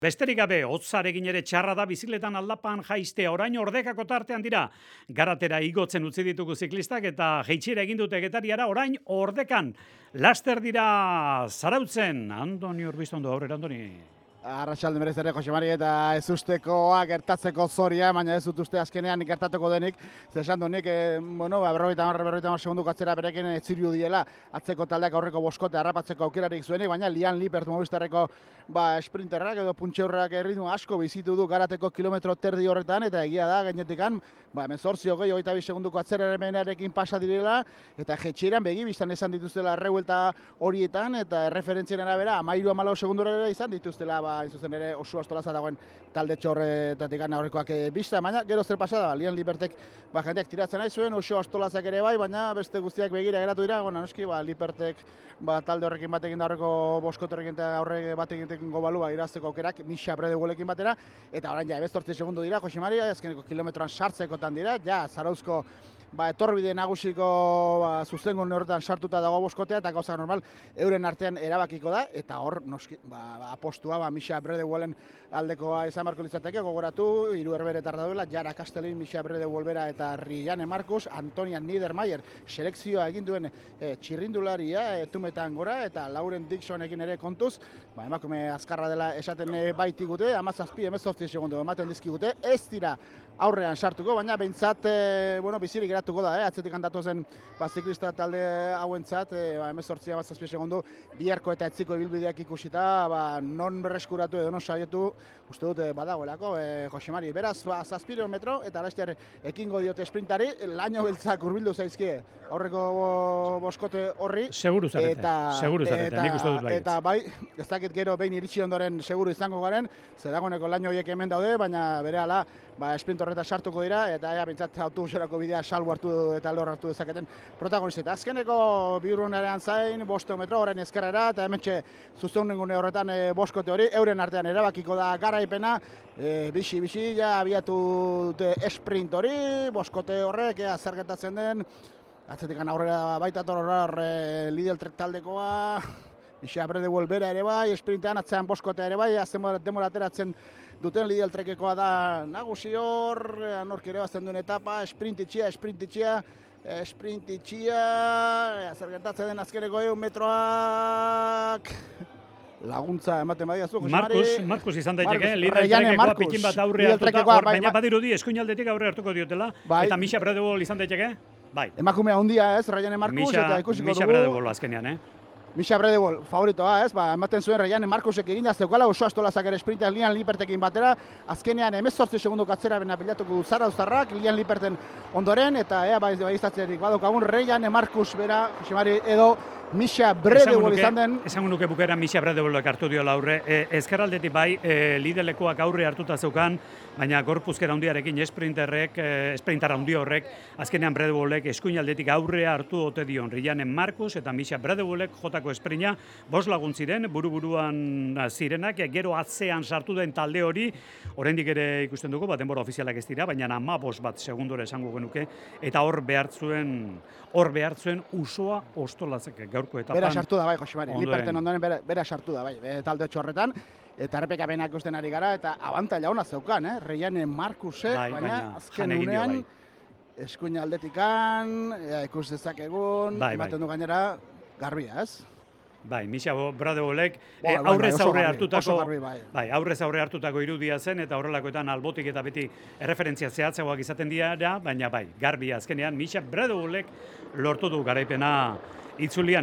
Besterik gabe, hotzarekin ere txarra da bizikletan aldapan jaistea, orain ordekako tartean dira. Garatera igotzen utzi ditugu ziklistak eta jeitxera egin dute Getariara, orain ordekan. Laster dira Zarautzen. Andoni Urbistondo, aurrera Andoni. Arratsalde berez ere Jose Mari eta ez ustekoa gertatzeko zoria, baina ez dut uste azkenean gertatuko denik. Zesan du nik, 50 segundu atzera berekin etziriu diela atzeko taldeak aurreko boskote harrapatzeko aukerarik zuenik, baina Lian Lippert Movistarreko sprinterrak edo puntxeurrak erritmo asko bizitu du Garateko kilometro terdi horretan, eta egia da gainetikan 18-22 segunduko atzeraremenarekin pasa direla, eta jetxeran begi biztan esan dituztela errebuelta horietan, eta erreferentzien arabera 13-14 segundura izan dituztela, zuzen ere oso astolaza dagoen talde txorretatik aurrekoak bizta, baina gero zer pasada, Lian Lippertek jendeak tiratzen nahi zuen, oso astolazak ere bai, baina beste guztiak begira geratu dira, noski Lippertek talde horrekin batekin da aurreko boskoterekin eta aurre batekin gobalua irazteko aukerak, Misha Bredegulekin batera, eta orain ja 18 segundu dira, Jose Mari, azkeneko kilometroan sartzekotan dira, ja Zarauzko etorbide nagusiko zuzengun horretan sartuta dago boskotea, eta gauza normal euren artean erabakiko da, eta hor noski apostua Misha Bredegulen aldekoa izan barko litzateke, gogoratu, hiru herberetar dauela, Jara Kastelin, Misha Bredeguelbera eta Rianne Markus, Antonia Niedermayer selekzioa egin duen txirrindularia etumetan gora, eta Lauren Dixonekin ere kontuz, emakume azkarra dela esaten baitigute, 17-18 segundu ematen dizkigute, ez dira aurrean sartuko, baina behintzat bizirik geratuko da, atzetik handatu zen ziklista talde hauentzat, 18-17 segundu biharko eta etziko ibilbideak ikusita, non berreskuratu edo non saietu, uste dut badagoelako, Jose Mari, beraz, 700 metro, eta laster ekingo diote sprintari, laino beltzak hurbildu zaizkie aurreko boskote horri. Seguru zarete, nik uste dut bai. Eta bai, ez dakit gero behin iritsi ondoren seguru izango garen, zeragoneko laino horiek hemen daude, baina berehala sprint horreta sartuko dira, eta bintzat autobuserako bidea salbu hartu eta lor hartu dezaketen protagonista. Azkeneko bihurrunean zain, 5 metro horren ezkerrera, eta hementxe zuzeunengune horretan boskote hori, euren artean erabakiko da garaipena, bixi, ja abiatu dute sprint hori, boskote horrek, zer gertatzen den, atzetik aurrera baita toror Lidl Trek taldekoa, Misha Bredeguelbera ere bai, sprintean atzean boskotea ere bai, azten demora ateratzen duten Lidl Trekekoa da nagusi hor, nork ere bazten duen etapa, sprintitxia, zer gertatzen den azkeneko 100 metroak, laguntza ematen badiazu, Jose Mari. Markus izan daiteke, Lidl Trekekoa pikin bat aurre hartuta, baina badirudi eskuinaldetik aurre hartuko diotela, eta Misha Bredeguel izan daiteke? Bai. Emakumea handia ez, Rianne Markus, eta ikusiko dugu. Misha Bredeguel azkenean, Misha Bredeguel favoritoa ez, ematen zuen Rianne Markusek egina zeukala oso astolazak ere sprintean Lian Lippertekin batera, azkenean 18 segunduko atzerapena bilatuko du Zarauztarrak, Lian Lipperten ondoren, eta baistatzerik badaukagun Rianne Markus bera, Jose Mari, edo Misha Bredeguel izan den. Esango nuke bukaeran Misha Bredeguelek hartu diola aurre. Ezkerraldetik bai, Lidlekoak aurre hartuta zeukan, baina gorpuzkera handiarekin sprinter handi horrek, azkenean Bredeguelek eskuinaldetik aurre hartu ote dion Rianne Markus eta Misha Bredeguelek jotako esprinta, 5 lagun ziren, buru-buruan zirenak, gero atzean sartu den talde hori, oraindik ere ikusten dugu, denbora ofizialak ez dira, baina 15 bat segundora esango genuke, eta hor behartzuen usoa ostolazek gaurko etapan. Bera sartu da bai, Jose Mari, Lipperten ondoren bera sartu da bai, talde horretan, eta errepikapenak ikusten ari gara, eta abantaila ona zeukan, Rianne Markusek, baina azken unean, eskuin aldetikan, ikus dezakegun, ematen du gainera, garbia, ez? Bai, Misha Bredeguelek aurrez aurre hartutako irudia zen, eta horrelakoetan albotik eta beti erreferentzia zehatzagoak izaten dira, baina bai, garbia azkenean Misha Bredeguelek lortu du garaipena itzulian.